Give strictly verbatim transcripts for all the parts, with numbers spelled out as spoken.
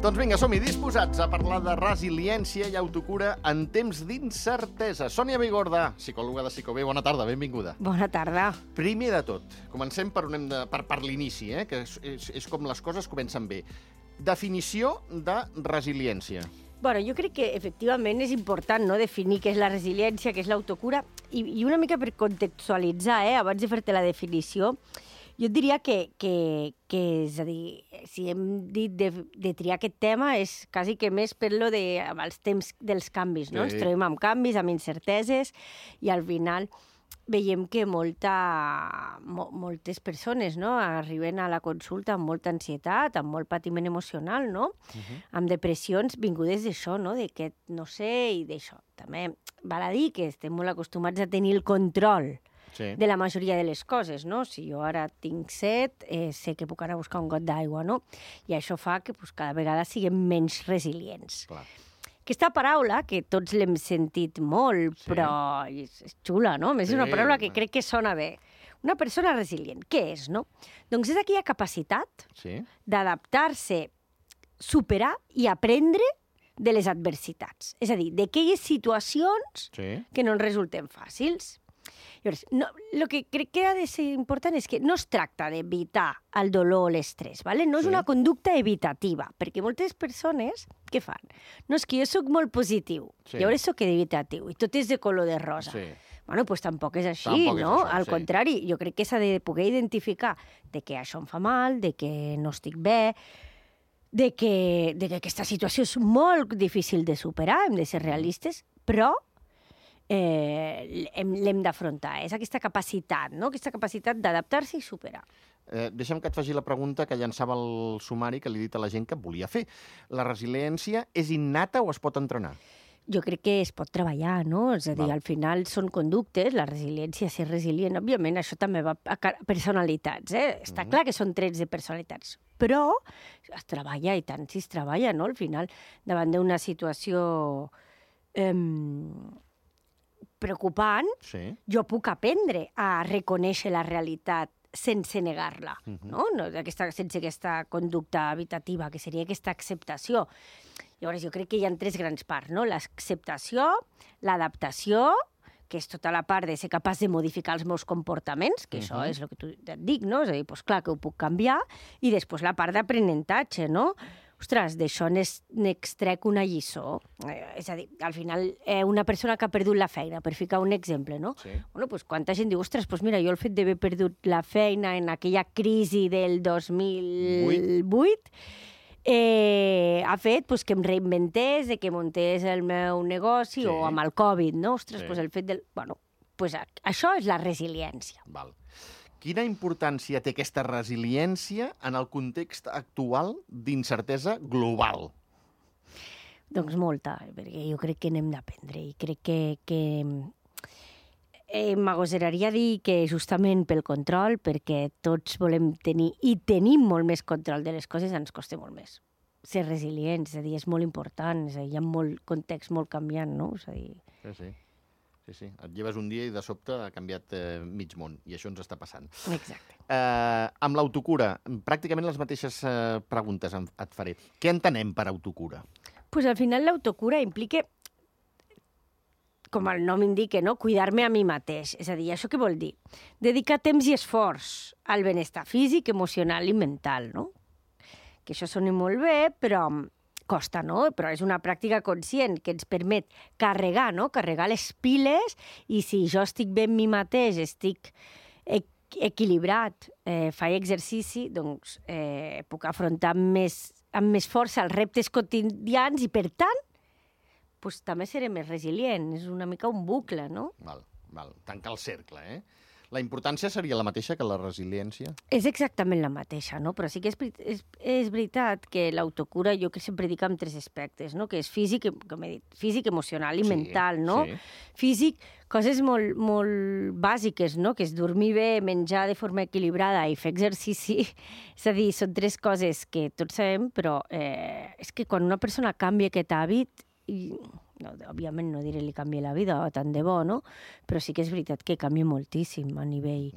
Doncs vinga, som-hi disposats a parlar de resiliència i autocura en temps d'incertesa. Sònia Bigorda, psicòloga de Psicobé, bona tarda, benvinguda. Bona tarda. Primer de tot, comencem per, on hem de, per, per l'inici, eh, que és, és, és com les coses comencen bé. Definició de resiliència. Bueno, jo crec que efectivament és important, no?, definir què és la resiliència, què és l'autocura, i, i una mica per contextualitzar, eh, abans de fer-te la definició, jo et diria que, que, que, és a dir, si hem dit de, de triar aquest tema és quasi que més per lo de, amb els temps dels canvis, no? Sí. Ens trobem amb canvis, amb incerteses, i al final veiem que molta, mo, moltes persones, no?, arriben a la consulta amb molta ansietat, amb molt patiment emocional, no?, uh-huh. amb depressions vingudes d'això, no?, d'aquest no sé i d'això. També val a dir que estem molt acostumats a tenir el control sí. de la majoria de les coses, no? Si jo ara tinc set, eh, sé que puc anar a buscar un got d'aigua, no? I això fa que pues, cada vegada siguem menys resilients. Clar. Aquesta paraula, que tots l'hem sentit molt, sí. però és, és xula, no? És sí. una paraula que crec que sona bé. Una persona resilient, què és, no? Doncs és aquella capacitat sí. d'adaptar-se, superar i aprendre de les adversitats. És a dir, d'aquelles situacions sí. que no ens resulten fàcils. Llavors, no, el que crec que ha de ser important és que no es tracta d'evitar el dolor o l'estrès, ¿vale? No és sí. una conducta evitativa, perquè moltes persones, què fan? No, és que jo sóc molt positiu, sí. llavors sóc evitatiu, i tot és de color de rosa. Sí. Bueno, doncs tampoc és així, tampoc no? És això, al sí. contrari, jo crec que s'ha de poder identificar de que això em fa mal, de que no estic bé, de que, de que aquesta situació és molt difícil de superar, hem de ser realistes, però Eh, l'hem d'afrontar. És aquesta capacitat, no? Aquesta capacitat d'adaptar-se i superar. Eh, deixa'm que et faci la pregunta que llançava el sumari que li he dit a la gent que volia fer. La resiliència és innata o es pot entrenar? Jo crec que es pot treballar, no? És a dir, Val. al final són conductes, la resiliència, ser resilient, òbviament, això també va a personalitats, eh? Està mm. clar que són trets de personalitats, però es treballa, i tant si es treballa, no? Al final, davant d'una situació Eh, preocupant, sí. jo puc aprendre a reconèixer la realitat sense negar-la, uh-huh. no? no aquesta, sense aquesta conducta evitativa, que seria aquesta acceptació. Llavors, jo crec que hi ha tres grans parts, no? L'acceptació, l'adaptació, que és tota la part de ser capaç de modificar els meus comportaments, que uh-huh. això és el que tu et dic, no? És a dir, doncs clar que ho puc canviar, i després la part d'aprenentatge, no? Ostres, d'això n'extrec una lliçó. Eh, és a dir, al final, eh, una persona que ha perdut la feina, per ficar un exemple, no? Sí. Bueno, doncs quanta gent diu, ostres, doncs mira, jo el fet d'haver perdut la feina en aquella crisi del dos mil vuit eh, ha fet doncs, que em reinventés, de que muntés el meu negoci, sí. o amb el Covid, no? Ostres, sí. doncs el fet del... Bueno, doncs això és la resiliència. Val. Quina importància té aquesta resiliència en el context actual d'incertesa global? Doncs molta, perquè jo crec que n'hem d'aprendre i crec que, que eh, m'agoseraria dir que justament pel control, perquè tots volem tenir, i tenim molt més control de les coses, ens costa molt més. Ser resilients, és a dir, és molt important, és a dir, hi ha molt context molt canviant, no? És a dir... Sí, sí. Sí, sí. Et lleves un dia i de sobte ha canviat eh, mig món, i això ens està passant. Exacte. Eh, amb l'autocura, pràcticament les mateixes eh, preguntes et faré. Què entenem per autocura? Pues al final l'autocura implica, com el nom indica, no? Cuidar-me a mi mateix. És a dir, això què vol dir? Dedicar temps i esforç al benestar físic, emocional i mental, no? Que això soni molt bé, però costa, no? Però és una pràctica conscient que ens permet carregar, no? Carregar les piles, i si jo estic bé amb mi mateix, estic equilibrat, eh, faig exercici, doncs eh, puc afrontar amb més, amb més força els reptes quotidians i, per tant, doncs, també seré més resilient. És una mica un bucle, no? Val, val. Tancar el cercle, eh? La importància seria la mateixa que la resiliència? És exactament la mateixa, no? Però sí que és, és, és veritat que l'autocura jo que sempre dic en tres aspectes, no? Que és físic, com he dit, físic, emocional i sí, mental, no? Sí. Físic, coses molt, molt bàsiques, no? Que és dormir bé, menjar de forma equilibrada i fer exercici. És a dir, són tres coses que tots sabem, però eh, és que quan una persona canvia aquest hàbit... I... No, òbviament no diré li canvia la vida, tant de bo, no? Però sí que és veritat que canvia moltíssim a nivell,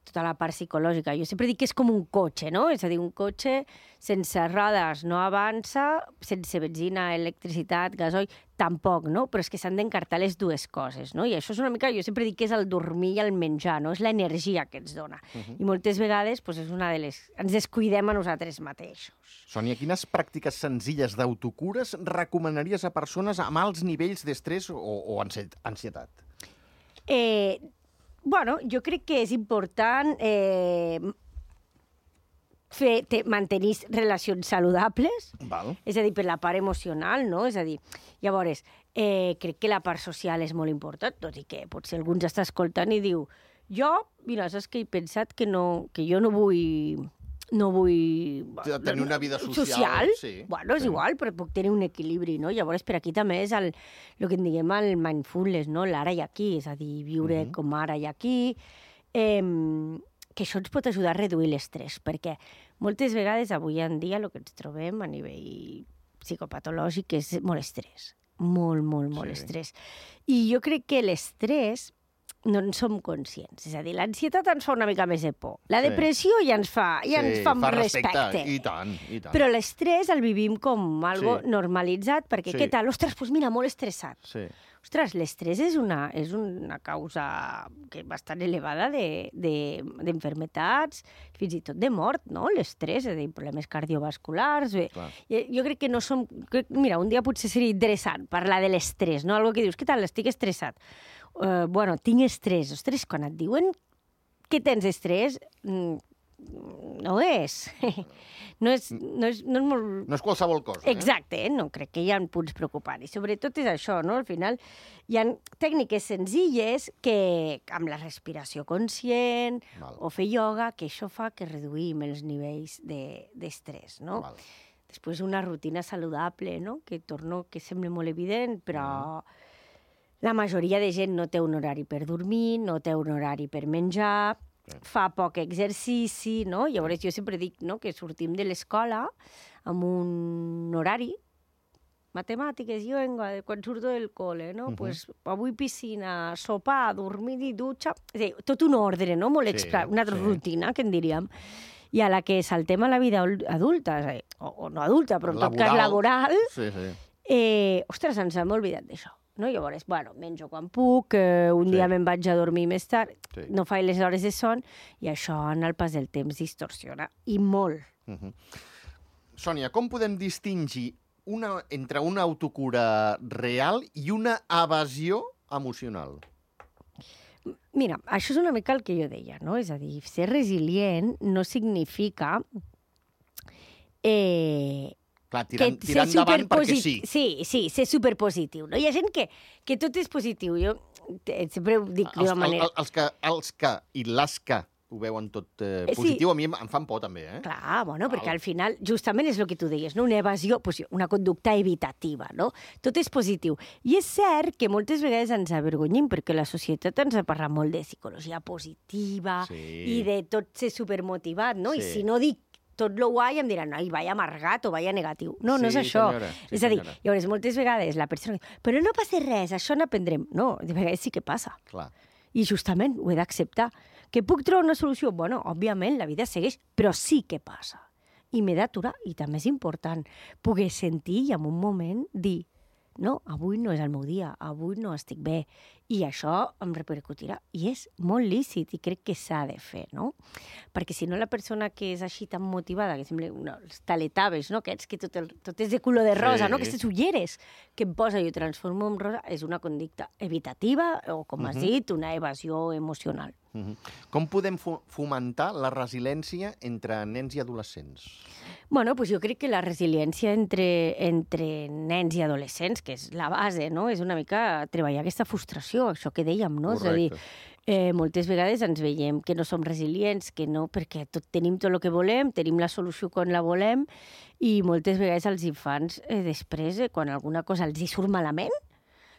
tota la part psicològica. Jo sempre dic que és com un cotxe, no? És a dir, un cotxe, sense rodes no avança, sense benzina, electricitat, gasoil, tampoc, no? Però és que s'han d'encartar les dues coses, no? I això és una mica, jo sempre dic que és el dormir i el menjar, no? És l'energia que ens dona. Uh -huh. I moltes vegades pues, és una de les... ens descuidem a nosaltres mateixos. Sònia, quines pràctiques senzilles d'autocures recomanaries a persones amb alts nivells d'estrès o, o ansietat? Eh, bueno, jo crec que és important... Eh, fer, te, mantenir relacions saludables, Val. És a dir, per la part emocional, no? És a dir, llavors, eh, crec que la part social és molt important, tot i que potser algú ens està escoltant i diu jo, mira, saps que he pensat que, no, que jo no vull... no vull... Tenir una vida social. Social? Sí, bueno, és sí. igual, però puc tenir un equilibri, no? Llavors, per aquí també és el, el que en diguem el mindfulness, no? L'ara i aquí, és a dir, viure uh-huh. com ara i aquí... Eh, que això ens pot ajudar a reduir l'estrès, perquè moltes vegades avui en dia el que ens trobem a nivell psicopatològic és molt estrès, molt, molt, molt sí. estrès. I jo crec que l'estrès no en som conscients, és a dir, l'ansietat ens fa una mica més de por, la sí. depressió ja ens fa, ja sí, ens fa, fa respecte. respecte. I tant, i tant. Però l'estrès el vivim com algo sí. normalitzat, perquè sí. què tal? Ostres, doncs mira, molt estressat. Sí. Ostres, l'estrès és una, és una causa que bastant elevada d'enfermetats, de, fins i tot de mort, no? L'estrès, és a dir, problemes cardiovasculars... Clar. Jo crec que no som... Crec, mira, un dia potser seria interessant parlar de l'estrès, no? Algo que dius, què tal, estic estressat? Uh, bueno, tinc estrès. Ostres, quan et diuen que tens estrès, mm, no és... No és, no, és, no és molt... No és qualsevol cosa, eh? Exacte, eh? No crec que hi ha punts preocupants. I sobretot és això, no? Al final hi ha tècniques senzilles que, amb la respiració conscient Val. O fer ioga, que això fa que reduïm els nivells d'estrès, de, no? Val. Després una rutina saludable, no? Que torno, que sembla molt evident, però mm. la majoria de gent no té un horari per dormir, no té un horari per menjar... fa poc exercici, no? Llavors jo sempre dic, no?, que sortim de l'escola amb un horari, matemàtiques, jo vengo quan surto del col·le, no? Uh -huh. Pues avui piscina, sopar, dormir i dutxa... És a dir, tot un ordre, no?, molt sí, exprat, una sí. rutina, que en diríem. I a la que saltem a la vida adulta, és a dir, o, o no adulta, però en laboral. Tot cas laboral, sí, sí. Eh, ostres, ens hem oblidat d'això. No? Llavors, bueno, menjo quan puc, eh, un sí. dia me'n vaig a dormir més tard, sí. no faig les hores de son, i això en el pas del temps distorsiona, i molt. Uh -huh. Sònia, com podem distingir una, entre una autocura real i una evasió emocional? Mira, això és una mica el que jo deia, no? És a dir, ser resilient no significa... Eh, Clar, tirant, tirant endavant perquè sí. Sí, sí, ser superpositiu. No? Hi ha gent que, que tot és positiu. Jo sempre ho dic d'una manera. El, els, que, els que i les que ho veuen tot eh, positiu, sí. a mi em fan por també. Eh? Clar, bueno, Val. Perquè al final justament és el que tu deies, no? Una evasió, pues, una conducta evitativa. No? Tot és positiu. I és cert que moltes vegades ens avergonyim perquè la societat ens ha parlat molt de psicologia positiva sí. i de tot ser supermotivat. No? Sí. I si no dic tot lo guai em diran, ai, vaya amargat o vaya negatiu. No, sí, no és això. Senyora, sí, és a dir, senyora. llavors, moltes vegades la persona diu, però no passa res, això n'aprendrem. No, de vegades sí que passa. Clar. I justament ho he d'acceptar. Que puc trobar una solució? Bueno, òbviament, la vida segueix, però sí que passa. I m'he d'aturar, i també és important poder sentir i en un moment dir no, avui no és el meu dia, avui no estic bé, i això em repercutirà. I és molt lícit i crec que s'ha de fer, no? Perquè si no la persona que és així tan motivada, que sembla no, els taletaves, no? Aquests que tot, el, tot és de color de rosa, sí. no? Aquestes ulleres que em posa i ho transformo en rosa, és una conducta evitativa o, com uh-huh. has dit, una evasió emocional. Uh-huh. Com podem fomentar la resiliència entre nens i adolescents? Bueno, pues jo crec que la resiliència entre, entre nens i adolescents, que és la base, no? És una mica treballar aquesta frustració, això que dèiem, no? Correcte. És a dir, eh, moltes vegades ens veiem que no som resilients, que no, perquè tot, tenim tot el que volem, tenim la solució quan la volem, i moltes vegades els infants, eh, després, eh, quan alguna cosa els hi surt malament,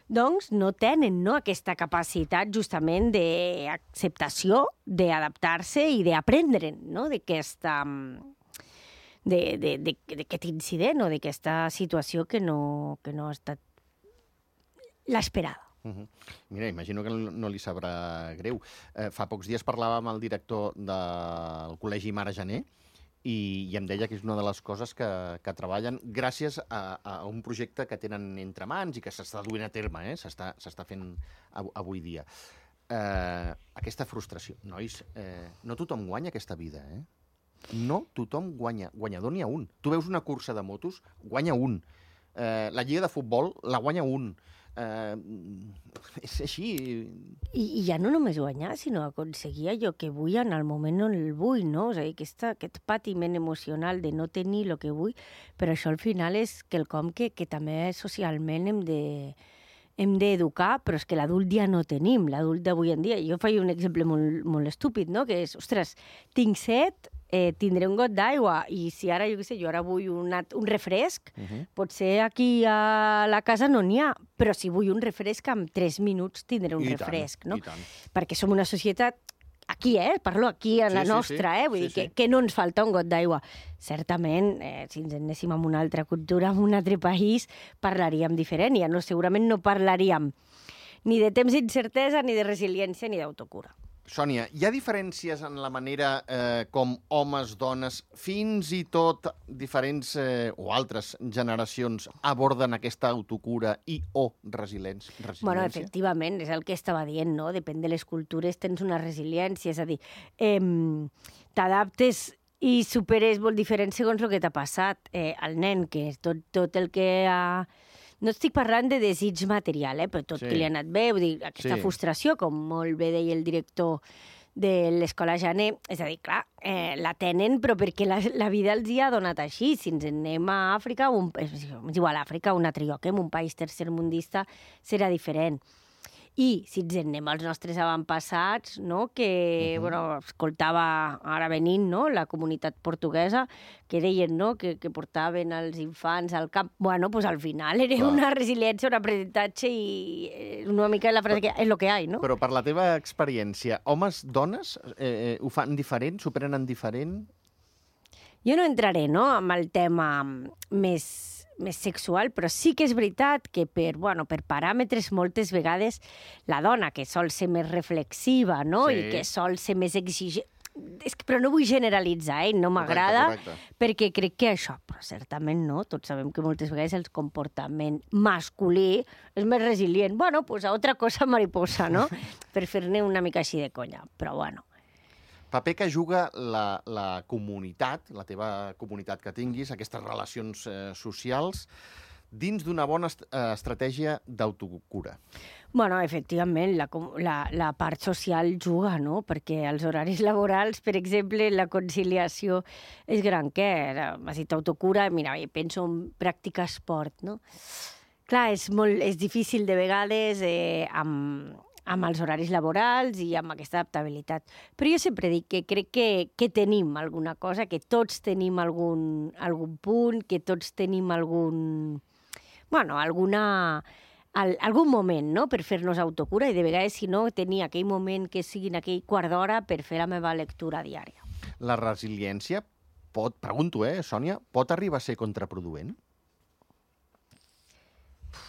doncs no tenen no, aquesta capacitat justament d'acceptació, d'adaptar-se i d'aprendre no, d'aquesta... d'aquest incident o d'aquesta situació que no, que no ha estat l'esperada. Uh -huh. Mira, imagino que no li sabrà greu. Eh, fa pocs dies parlàvem amb el director del Col·legi Mare Gener i, i em deia que és una de les coses que, que treballen gràcies a, a un projecte que tenen entre mans i que s'està duent a terme, eh? s'està fent av avui dia. Eh, aquesta frustració. Nois, eh, no tothom guanya aquesta vida, eh? No tothom guanya. Guanyador n'hi ha un. Tu veus una cursa de motos, guanya un. Eh, la lliga de futbol la guanya un. Eh, és així. I, I ja no només guanyar, sinó aconseguir allò que vull en el moment on el vull, no? És a dir, aquesta, aquest patiment emocional de no tenir el que vull, però això al final és quelcom que, que també socialment hem de hem d'educar, però és que l'adult ja no tenim, l'adult d'avui en dia. Jo faig un exemple molt, molt estúpid, no? Que és, ostres, tinc set, eh, tindré un got d'aigua, i si ara, jo què sé, jo ara vull una, un refresc, uh -huh. potser aquí a la casa no n'hi ha, però si vull un refresc, en tres minuts tindré un I refresc, tant, no? I tant. Perquè som una societat aquí, eh? Parlo aquí, a la sí, sí, nostra, sí. eh? Vull sí, dir sí. que, que no ens falta un got d'aigua. Certament, eh, si ens anéssim a una altra cultura, en un altre país, parlaríem diferent. Ja no, segurament no parlaríem ni de temps d'incertesa, ni de resiliència, ni d'autocura. Sònia, hi ha diferències en la manera eh, com homes, dones, fins i tot diferents eh, o altres generacions aborden aquesta autocura i o resiliència? Bueno, efectivament, és el que estava dient, no? Depèn de les cultures, tens una resiliència, és a dir, eh, t'adaptes i superes molt diferent segons el que t'ha passat. Eh, el nen, que és tot, tot el que ha... No estic parlant de desig material, eh, però tot sí. que li ha anat bé, vull dir, aquesta sí. frustració, com molt bé deia el director de l'Escola Janer, és a dir, clar, eh, la tenen, però perquè la, la vida els hi ha donat així. Si ens anem a Àfrica, un, és igual a Àfrica, un altre lloc, eh, en un país tercermundista, serà diferent. I si ens anem als nostres avantpassats, no? que uh -huh. bueno, escoltava ara venint, no? la comunitat portuguesa, que deien no? que, que portaven els infants al camp. Bueno, pues al final era Clar. una resiliència, un aprenentatge i una mica la frase que és el que hi ha, no? Però per la teva experiència, homes, dones, eh, ho fan diferent, s'ho prenen diferent? Jo no entraré no? amb el tema més... més sexual, però sí que és veritat que per, bueno, per paràmetres moltes vegades la dona, que sol ser més reflexiva, no? Sí. I que sol ser més exigent... És que, però no vull generalitzar, eh? No m'agrada, perquè crec que això, però certament no, tots sabem que moltes vegades el comportament masculí és més resilient. Bueno, pues a otra cosa mariposa, no? Per fer-ne una mica així de conya, però bueno. Paper que juga la, la comunitat, la teva comunitat que tinguis, aquestes relacions eh, socials, dins d'una bona est eh, estratègia d'autocura. Bueno, efectivament, la, la, la part social juga, no? Perquè els horaris laborals, per exemple, la conciliació és gran què? M'has dit autocura, mira, penso en practicar esport, no? Clar, és, molt, és difícil de vegades eh, amb... amb els horaris laborals i amb aquesta adaptabilitat. Però jo sempre dic que crec que, que tenim alguna cosa, que tots tenim algun, algun punt, que tots tenim algun... Bueno, alguna... Al, algun moment, no?, per fer-nos autocura, i de vegades, si no, tenir aquell moment que sigui en aquell quart d'hora per fer la meva lectura diària. La resiliència pot, pregunto, eh, Sònia, pot arribar a ser contraproduent?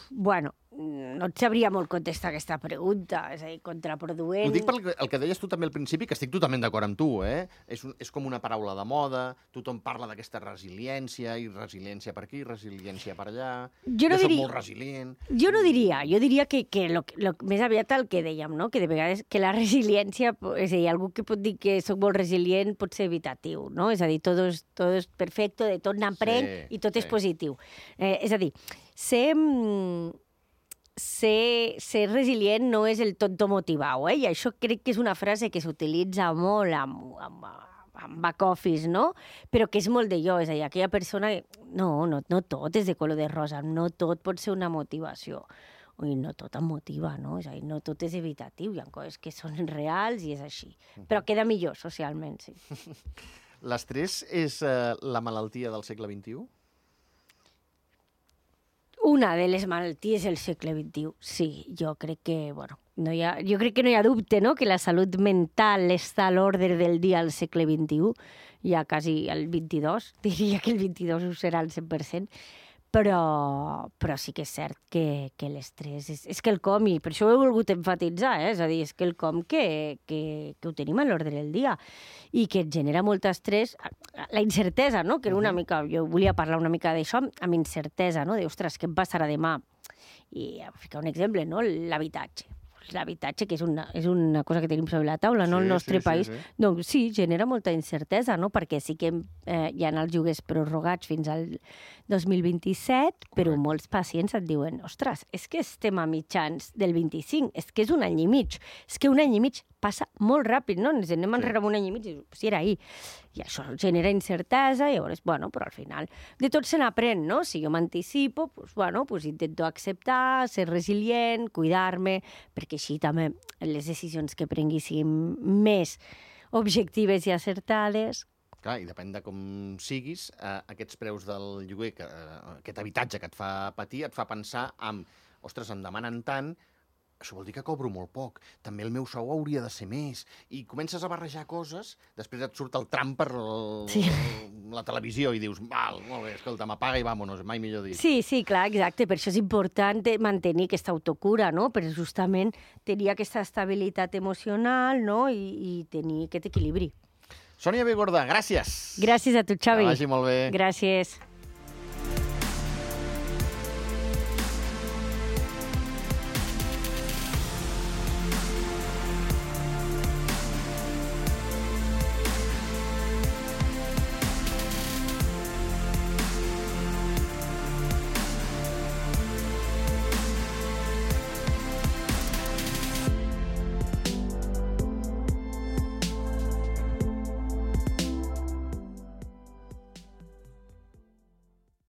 Bueno, no et sabria molt contestar aquesta pregunta, és a dir, contraproduent... Ho dic pel el que deies tu també al principi, que estic totalment d'acord amb tu, eh? És, un, és com una paraula de moda, tothom parla d'aquesta resiliència, i resiliència per aquí, resiliència per allà... Jo no jo diria... soc molt resilient... Jo no diria, jo diria que, que lo, lo, més aviat el que dèiem, no? Que de vegades que la resiliència, és a dir, algú que pot dir que soc molt resilient pot ser evitatiu, no? És a dir, tot és, tot és perfecte, de tot n'aprèn sí, i tot sí. és positiu. Eh, és a dir, ser... Ser, ser resilient no és el tot motivau, eh? I això crec que és una frase que s'utilitza molt amb, amb, amb back office, no? Però que és molt de jo, és a dir, aquella persona... No, no, no tot és de color de rosa, no tot pot ser una motivació. I no tot em motiva, no? És a dir, no tot és evitatiu, hi ha coses que són reals i és així. Però queda millor socialment, sí. L'estrès és eh, la malaltia del segle vint-i-u? Una de les malalties del segle vint-i-u, sí. Jo crec que, bueno, no hi ha, jo crec que no hi ha dubte, no?, que la salut mental està a l'ordre del dia al segle vint-i-u, ja quasi al vint-i-dos, diria que el vint-i-dos ho serà al cent per cent, Però, però sí que és cert que, que l'estrès és, és quelcom, i per això ho he volgut enfatitzar, eh? És a dir, és quelcom que, que, que ho tenim a l'ordre del dia i que et genera molt estrès. La incertesa, no? Que era una mica, jo volia parlar una mica d'això, amb incertesa, no? De, ostres, què em passarà demà? I a ficar un exemple, no? L'habitatge. L'habitatge, que és una, és una cosa que tenim sobre la taula, no? Sí, El nostre sí, país. sí, sí. Doncs sí, genera molta incertesa, no? Perquè sí que eh, hi ha els lloguers prorrogats fins al dos mil vint-i-set, però Correcte. molts pacients et diuen, ostres, és que estem a mitjans del vint-i-cinc, és que és un any i mig, és que un any i mig passa molt ràpid, no? Ens anem enrere amb un any i mig i dius, si era ahir. I això genera incertesa, i llavors, bueno, però al final de tot se n'aprèn, no? Si jo m'anticipo, doncs, bueno, doncs intento acceptar, ser resilient, cuidar-me, perquè així també les decisions que prengui siguin més objectives i acertades. Clar, i depèn de com siguis, eh, aquests preus del lloguer, que, eh, aquest habitatge que et fa patir, et fa pensar en, ostres, em demanen tant, això vol dir que cobro molt poc. També el meu sou hauria de ser més. I comences a barrejar coses, després et surt el tram per el, sí. la televisió i dius, val, molt bé, escolta, m'apaga i vámonos, mai millor dit. Sí, sí, clar, exacte. Per això és important mantenir aquesta autocura, no? Per justament tenir aquesta estabilitat emocional, no? I, i tenir aquest equilibri. Sònia Bigorda, gràcies. Gràcies a tu, Xavi. Que vagi molt bé. Gràcies.